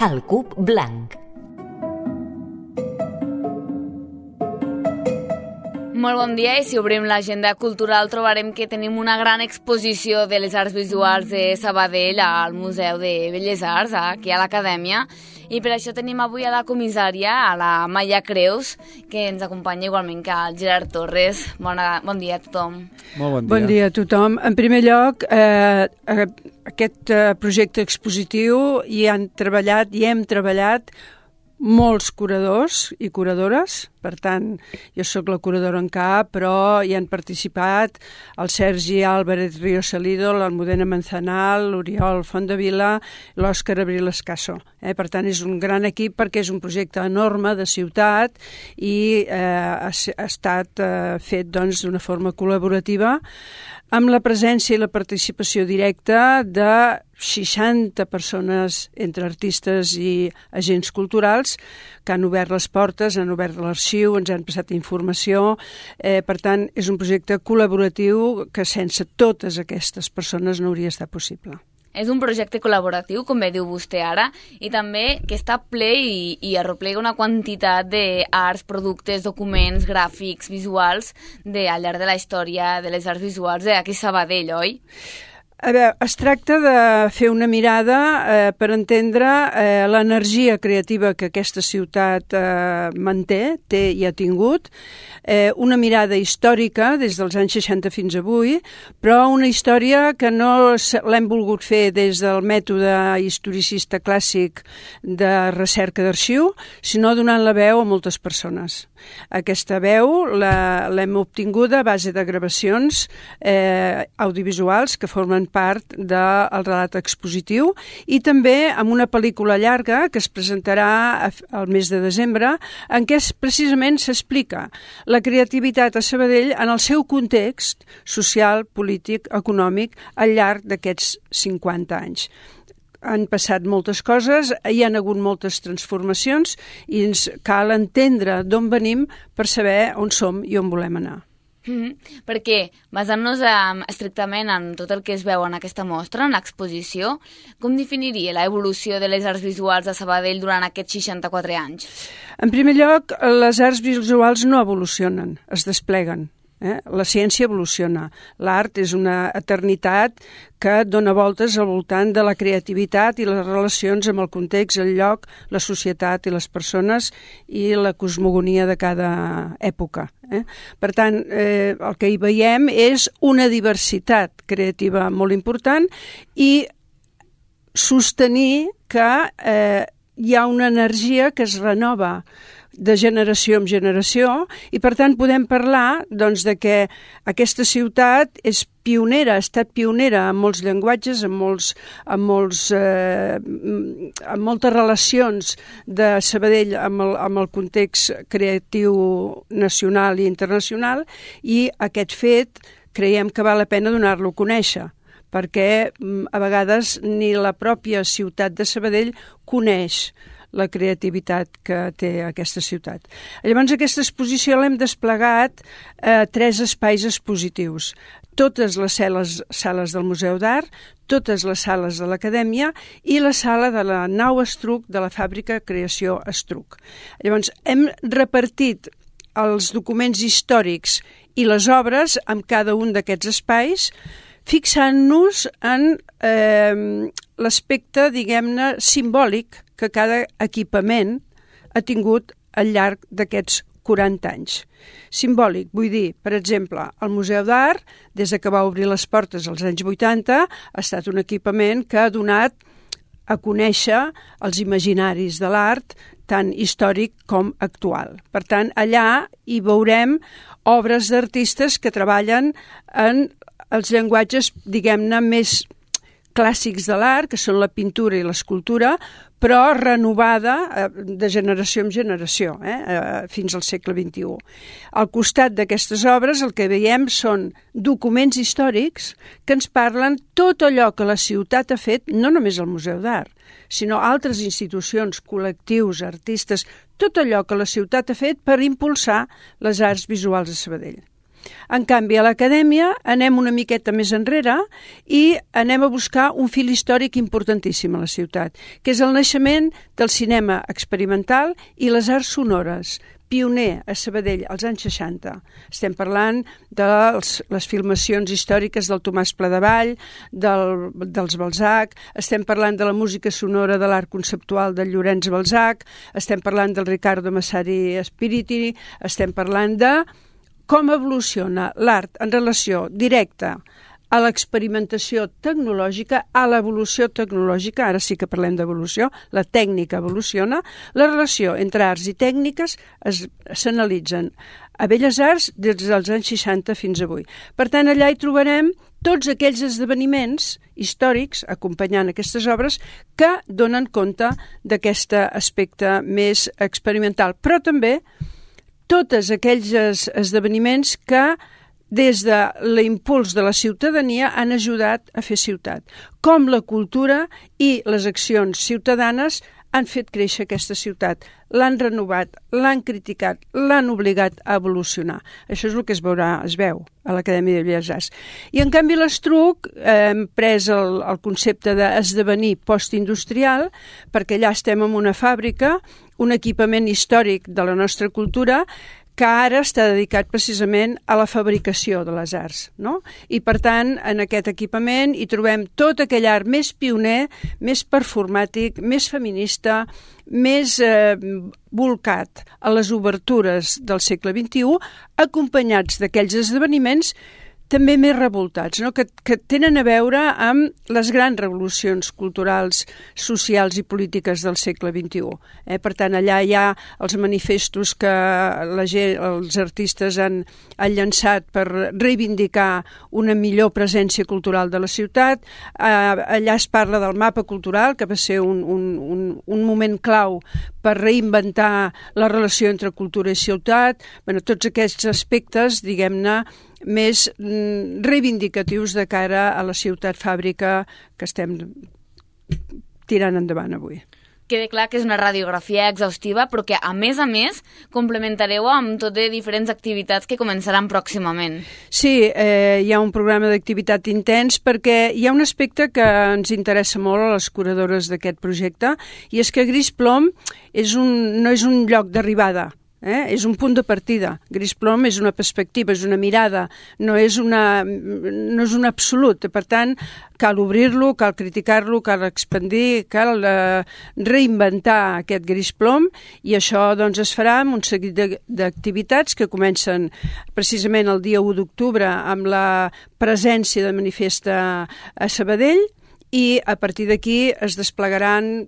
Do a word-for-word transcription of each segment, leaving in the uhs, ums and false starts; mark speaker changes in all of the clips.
Speaker 1: El Cub Blanc.
Speaker 2: Molt bon dia, i si obrim l'agenda cultural trobarem que tenim una gran exposició de les arts visuals de Sabadell al Museu de Belles Arts, aquí a l'Acadèmia, i per això tenim avui a la comissària, a la Maia Creus, que ens acompanya igualment que el Gerard Torres. Bona, bon dia a tothom.
Speaker 3: Molt bon dia.
Speaker 4: Bon dia a tothom. En primer lloc, eh, aquest eh, projecte expositiu hi han treballat, hi hem treballat molts curadors i curadores. Per tant, jo sóc la curadora en cap, però hi han participat el Sergi Álvarez Río Salido, l'Almudena Manzanal, l'Oriol Fontdevila, l'Òscar Abril Escasso. Eh? Per tant, és un gran equip perquè és un projecte enorme de ciutat i eh, ha, ha estat eh, fet doncs, d'una forma col·laborativa amb la presència i la participació directa de seixanta persones entre artistes i agents culturals que han obert les portes, han obert l'arxiu, ens han passat informació. Eh, per tant, és un projecte col·laboratiu que sense totes aquestes persones no hauria estat possible.
Speaker 2: És un projecte col·laboratiu, com bé diu vostè ara, i també que està ple i, i arroplega una quantitat d'arts, productes, documents, gràfics, visuals de, al llarg de la història de les arts visuals d'aquí a Sabadell, oi?
Speaker 4: A veure, es tracta de fer una mirada eh, per entendre eh, l'energia creativa que aquesta ciutat eh, manté, té i ha tingut, eh, una mirada històrica des dels anys seixanta fins avui, però una història que no l'hem volgut fer des del mètode historicista clàssic de recerca d'arxiu, sinó donant la veu a moltes persones. Aquesta veu l'hem obtinguda a base de gravacions eh, audiovisuals que formen part del relat expositiu i també amb una pel·lícula llarga que es presentarà al mes de desembre en què precisament s'explica la creativitat a Sabadell en el seu context social, polític, econòmic al llarg d'aquests cinquanta anys. Han passat moltes coses, hi han hagut moltes transformacions i ens cal entendre d'on venim per saber on som i on volem anar.
Speaker 2: Mm-hmm. Perquè, basant-nos um, estrictament en tot el que es veu en aquesta mostra, en l'exposició, com definiria l'evolució de les arts visuals a Sabadell durant aquests seixanta-quatre anys?
Speaker 4: En primer lloc, les arts visuals no evolucionen, es despleguen. Eh? La ciència evoluciona. L'art és una eternitat que dona voltes al voltant de la creativitat i les relacions amb el context, el lloc, la societat i les persones i la cosmogonia de cada època. Eh? Per tant, eh, el que hi veiem és una diversitat creativa molt important i sostenir que eh, hi ha una energia que es renova de generació en generació i per tant podem parlar doncs, de que aquesta ciutat és pionera, ha estat pionera en molts llenguatges, en, molts, en, molts, eh, en moltes relacions de Sabadell amb el, amb el context creatiu nacional i internacional i aquest fet creiem que val la pena donar-lo a conèixer perquè a vegades ni la pròpia ciutat de Sabadell coneix la creativitat que té aquesta ciutat. Llavors, aquesta exposició l'hem desplegat a eh, tres espais expositius. Totes les sales, sales del Museu d'Art, totes les sales de l'Acadèmia i la sala de la nau Estruc de la fàbrica Creació Estruc. Llavors, hem repartit els documents històrics i les obres en cada un d'aquests espais fixant-nos en eh, l'aspecte, diguem-ne, simbòlic que cada equipament ha tingut al llarg d'aquests quaranta anys. Simbòlic, vull dir, per exemple, el Museu d'Art, des que va obrir les portes als anys vuitanta, ha estat un equipament que ha donat a conèixer els imaginaris de l'art, tant històric com actual. Per tant, allà hi veurem obres d'artistes que treballen en els llenguatges, diguem-ne, més clàssics de l'art, que són la pintura i l'escultura, però renovada eh, de generació en generació, eh, eh, fins al segle vint-i-u. Al costat d'aquestes obres el que veiem són documents històrics que ens parlen tot allò que la ciutat ha fet, no només el Museu d'Art, sinó altres institucions, col·lectius, artistes, tot allò que la ciutat ha fet per impulsar les arts visuals a Sabadell. En canvi, a l'acadèmia anem una miqueta més enrere i anem a buscar un fil històric importantíssim a la ciutat, que és el naixement del cinema experimental i les arts sonores, pioner a Sabadell als anys seixanta. Estem parlant de les filmacions històriques del Tomàs Pladevall, del, dels Balzac, estem parlant de la música sonora de l'art conceptual del Llorenç Balzac, estem parlant del Riccardo Massari Spiriti, estem parlant de com evoluciona l'art en relació directa a l'experimentació tecnològica, a l'evolució tecnològica, ara sí que parlem d'evolució, la tècnica evoluciona, la relació entre arts i tècniques s'analitzen a Belles Arts des dels anys seixanta fins avui. Per tant, allà hi trobarem tots aquells esdeveniments històrics, acompanyant aquestes obres, que donen compte d'aquest aspecte més experimental, però també tots aquells esdeveniments que des de l'impuls de la ciutadania han ajudat a fer ciutat. Com la cultura i les accions ciutadanes han fet créixer aquesta ciutat, l'han renovat, l'han criticat, l'han obligat a evolucionar. Això és el que es veurà, es veu a l'Acadèmia de Belles Arts. I en canvi l'Estruc eh, hem pres el, el concepte d'esdevenir postindustrial, perquè allà estem en una fàbrica, un equipament històric de la nostra cultura, que ara està dedicat precisament a la fabricació de les arts, no? I, per tant, en aquest equipament hi trobem tot aquell art més pioner, més performàtic, més feminista, més eh, bolcat a les obertures del segle vint-i-u, acompanyats d'aquells esdeveniments també més revoltats, no? que, que tenen a veure amb les grans revolucions culturals, socials i polítiques del segle vint-i-u. Eh? Per tant, allà hi ha els manifestos que la gent, els artistes han, han llançat per reivindicar una millor presència cultural de la ciutat. Eh, allà es parla del mapa cultural, que va ser un, un, un, un moment clau per reinventar la relació entre cultura i ciutat. Bueno, tots aquests aspectes, diguem-ne, més reivindicatius de cara a la ciutat fàbrica que estem tirant endavant avui.
Speaker 2: Queda clar que és una radiografia exhaustiva, però que, a més a més, complementareu amb tot de diferents activitats que començaran pròximament.
Speaker 4: Sí, eh, hi ha un programa d'activitat intens perquè hi ha un aspecte que ens interessa molt a les curadores d'aquest projecte, i és que Gris Plom és un, no és un lloc d'arribada, Eh? És un punt de partida. Gris Plom és una perspectiva, és una mirada, no és, una, no és un absolut. Per tant, cal obrir-lo, cal criticar-lo, cal expandir, cal eh, reinventar aquest Gris Plom, i això doncs, es farà amb un seguit d'activitats que comencen precisament el dia u d'octubre amb la presència de Manifesta a Sabadell, i a partir d'aquí es desplegaran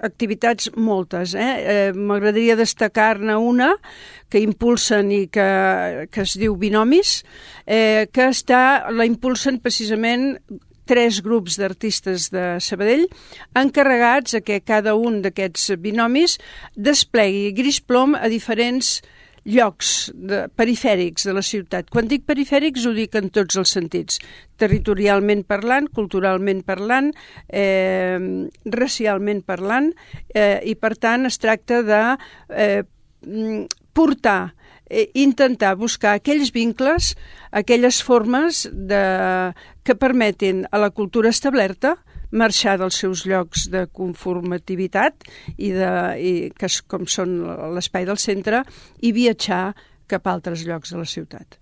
Speaker 4: activitats moltes. Eh? Eh, M'agradaria destacar-ne una que impulsen i que, que es diu Binomis, eh, que està, la impulsen precisament tres grups d'artistes de Sabadell encarregats a que cada un d'aquests binomis desplegui Gris Plom a diferents llocs de, perifèrics de la ciutat. Quan dic perifèrics ho dic en tots els sentits, territorialment parlant, culturalment parlant, eh, racialment parlant, eh, i per tant es tracta de eh, portar, eh, intentar buscar aquells vincles, aquelles formes de, que permetin a la cultura establerta marxar dels seus llocs de conformativitat i, de, i que és, com són l'espai del centre, i viatjar cap a altres llocs de la ciutat.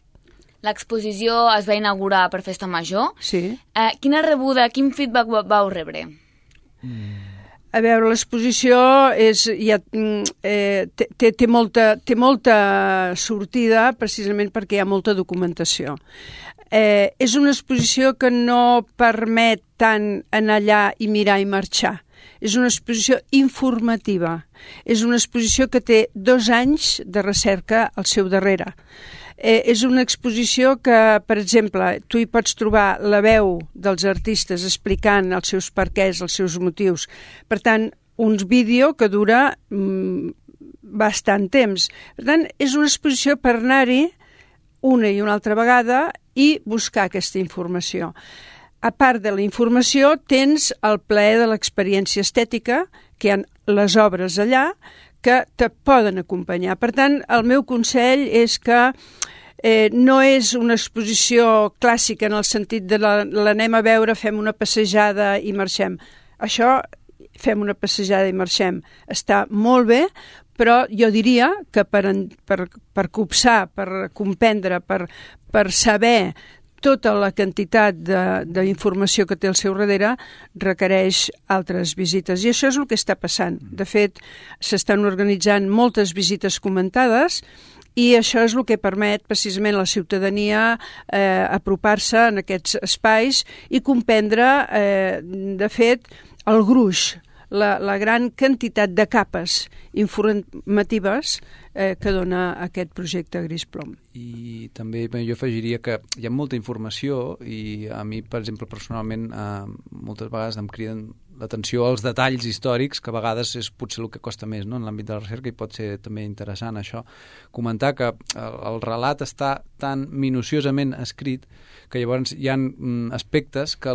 Speaker 2: L'exposició es va inaugurar per Festa Major.
Speaker 4: Sí.
Speaker 2: Eh, quina rebuda, quin feedback vau rebre?
Speaker 4: A veure, l'exposició és, ja, eh, té, té, molta, té molta sortida precisament perquè hi ha molta documentació. Eh, és una exposició que no permet tant anar allà i mirar i marxar. És una exposició informativa. És una exposició que té dos anys de recerca al seu darrere. Eh, és una exposició que, per exemple, tu hi pots trobar la veu dels artistes explicant els seus perquès, els seus motius. Per tant, un vídeo que dura mm, bastant temps. Per tant, és una exposició per anar-hi una i una altra vegada i buscar aquesta informació. A part de la informació, tens el plaer de l'experiència estètica, que hi ha les obres allà, que te poden acompanyar. Per tant, el meu consell és que Eh, no és una exposició clàssica en el sentit de l'anem a veure, fem una passejada i marxem. Això, fem una passejada i marxem, està molt bé, però jo diria que per, per, per copsar, per comprendre, per, per saber tota la quantitat d'informació que té al seu darrere requereix altres visites. I això és el que està passant. De fet, s'estan organitzant moltes visites comentades i això és el que permet precisament a la ciutadania eh, apropar-se en aquests espais i comprendre, eh, de fet, el gruix, la, la gran quantitat de capes informatives eh, que dona aquest projecte Gris Plom.
Speaker 1: I també bé, jo afegiria que hi ha molta informació i a mi, per exemple, personalment, eh, moltes vegades em criden l'atenció als detalls històrics, que a vegades és potser el que costa més, no?, en l'àmbit de la recerca, i pot ser també interessant això. Comentar que el, el relat està tan minuciosament escrit que llavors hi ha aspectes que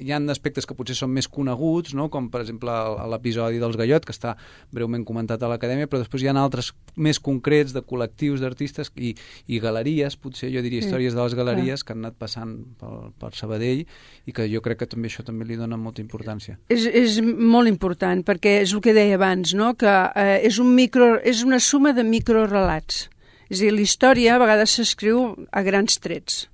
Speaker 1: hi ha aspectes que potser són més coneguts, no?, com per exemple l'episodi dels Gallot, que està breument comentat a l'Acadèmia, però després hi ha altres més concrets de col·lectius d'artistes i, i galeries, potser jo diria històries de les galeries que han anat passant per, per Sabadell i que jo crec que també això també li dona molta importància.
Speaker 4: És, és molt important perquè és el que deia abans, no?, que eh, és, un micro, és una suma de microrelats. És a dir, la història a vegades s'escriu a grans trets.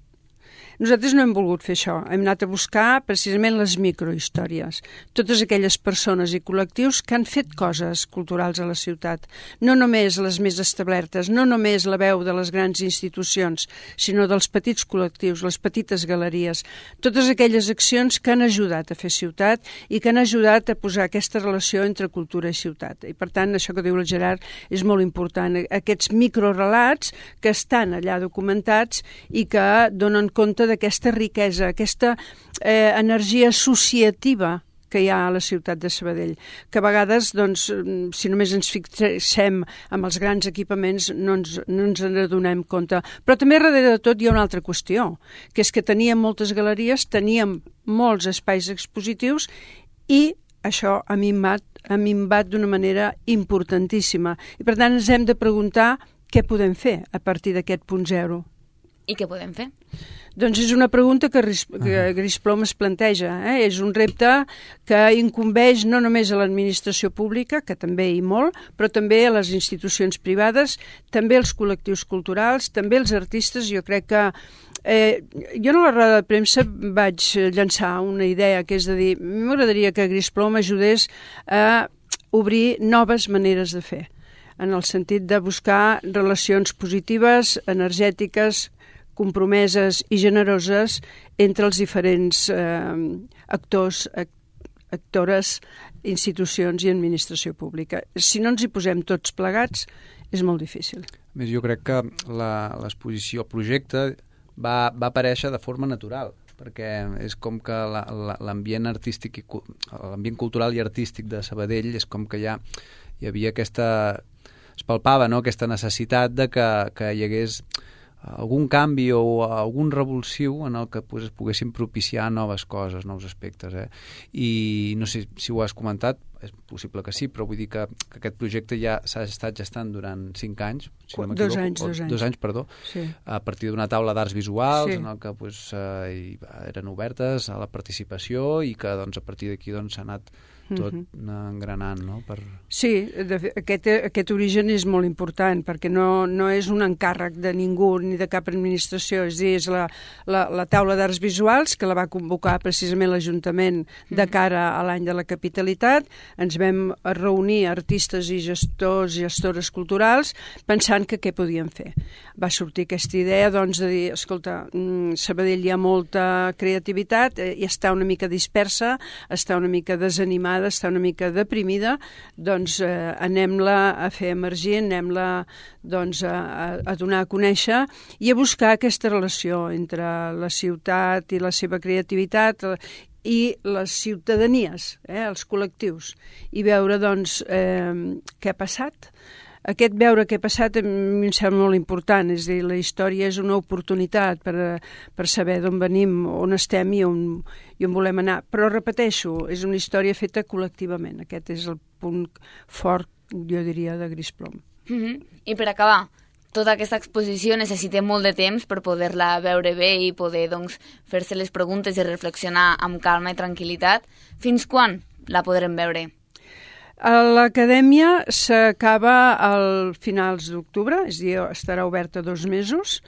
Speaker 4: Nosaltres no hem volgut fer això, hem anat a buscar precisament les microhistòries, totes aquelles persones i col·lectius que han fet coses culturals a la ciutat, no només les més establertes, no només la veu de les grans institucions, sinó dels petits col·lectius, les petites galeries, totes aquelles accions que han ajudat a fer ciutat i que han ajudat a posar aquesta relació entre cultura i ciutat. I per tant, això que diu el Gerard és molt important, aquests microrelats que estan allà documentats i que donen compte d'aquesta riquesa, aquesta eh, energia associativa que hi ha a la ciutat de Sabadell, que a vegades, doncs, si només ens fixem amb els grans equipaments, no ens, no ens en adonem compte. Però també darrere de tot hi ha una altra qüestió, que és que teníem moltes galeries, teníem molts espais expositius i això ha minvat, ha minvat d'una manera importantíssima. I per tant ens hem de preguntar què podem fer a partir d'aquest punt zero.
Speaker 2: I què podem fer?
Speaker 4: Doncs és una pregunta que, que Gris Plom es planteja. Eh? És un repte que incumbeix no només a l'administració pública, que també hi molt, però també a les institucions privades, també als col·lectius culturals, també als artistes. Jo crec que eh, jo en la roda de premsa vaig llançar una idea, que és de dir, m'agradaria que Gris Plom ajudés a obrir noves maneres de fer, en el sentit de buscar relacions positives, energètiques, compromeses i generoses entre els diferents eh, actors, actores, institucions i administració pública. Si no ens hi posem tots plegats, és molt difícil.
Speaker 1: A més, jo crec que l'exposició, el projecte, va, va aparèixer de forma natural, perquè és com que l'ambient artístic, l'ambient cultural i artístic de Sabadell és com que ja hi havia aquesta... es palpava, no?, aquesta necessitat de que, que hi hagués algun canvi o algun revulsiu en el que pues, es poguessin propiciar noves coses, nous aspectes. Eh? I no sé si ho has comentat, és possible que sí, però vull dir que, que aquest projecte ja s'ha estat gestant durant cinc anys, si no
Speaker 4: dos anys, dos anys.
Speaker 1: Dos anys, perdó,
Speaker 4: sí.
Speaker 1: A partir d'una taula d'arts visuals, sí, en el que pues, eh, eren obertes a la participació i que doncs, a partir d'aquí doncs, s'ha anat tot engranant, no? Per...
Speaker 4: Sí, de, aquest, aquest origen és molt important, perquè no, no és un encàrrec de ningú ni de cap administració, és a dir, és la, la, la taula d'arts visuals que la va convocar precisament l'Ajuntament de cara a l'any de la capitalitat. Ens vam reunir artistes i gestors i gestores culturals pensant que què podíem fer. Va sortir aquesta idea doncs, de dir, escolta, Sabadell hi ha molta creativitat i està una mica dispersa, està una mica desanimada, està una mica deprimida, doncs eh, anem-la a fer emergir, anem-la doncs, a, a donar a conèixer i a buscar aquesta relació entre la ciutat i la seva creativitat i les ciutadanies, eh, els col·lectius, i veure doncs, eh, què ha passat. Aquest veure què ha passat a mi em sembla molt important, és a dir, la història és una oportunitat per, per saber d'on venim, on estem i on, i on volem anar. Però repeteixo, és una història feta col·lectivament. Aquest és el punt fort, jo diria, de Gris Plom.
Speaker 2: Mm-hmm. I per acabar, tota aquesta exposició necessita molt de temps per poder-la veure bé i poder doncs, fer-se les preguntes i reflexionar amb calma i tranquil·litat. Fins quan la podrem veure?
Speaker 4: L'acadèmia s'acaba al finals d'octubre, és a dir, estarà oberta dos mesos.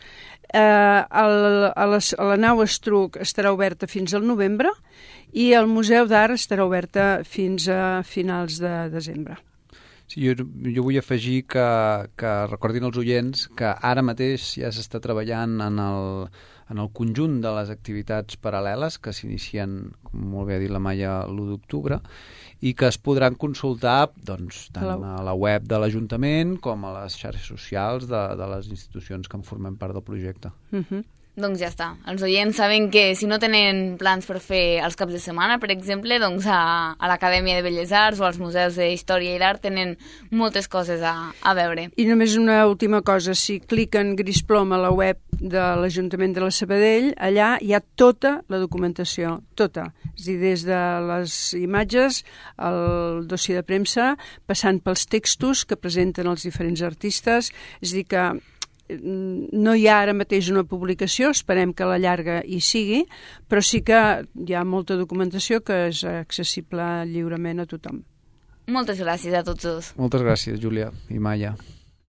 Speaker 4: Eh, el, a, les, a la nau Estruc estarà oberta fins al novembre i el Museu d'Art estarà oberta fins a finals de desembre.
Speaker 1: Sí, jo, jo vull afegir que, que recordin els oients que ara mateix ja s'està treballant en el, en el conjunt de les activitats paral·leles que s'inicien, com molt bé ha dit la Maia, l'u d'octubre, i que es podran consultar doncs, tant a la web de l'Ajuntament com a les xarxes socials de, de les institucions que en formem part del projecte.
Speaker 4: Uh-huh.
Speaker 2: Doncs ja està. Els oients saben que si no tenen plans per fer els caps de setmana, per exemple, doncs a, a l'Acadèmia de Belles Arts o als museus d'Història i d'Art tenen moltes coses a, a veure.
Speaker 4: I només una última cosa, si cliquen gris plom a la web de l'Ajuntament de la Sabadell, allà hi ha tota la documentació, tota. És a dir, des de les imatges, el dossier de premsa, passant pels textos que presenten els diferents artistes, és a dir que no hi ha ara mateix una publicació, esperem que a la llarga hi sigui, però sí que hi ha molta documentació que és accessible lliurement a tothom.
Speaker 2: Moltes gràcies a tots dos.
Speaker 1: Moltes gràcies, Júlia i Maia.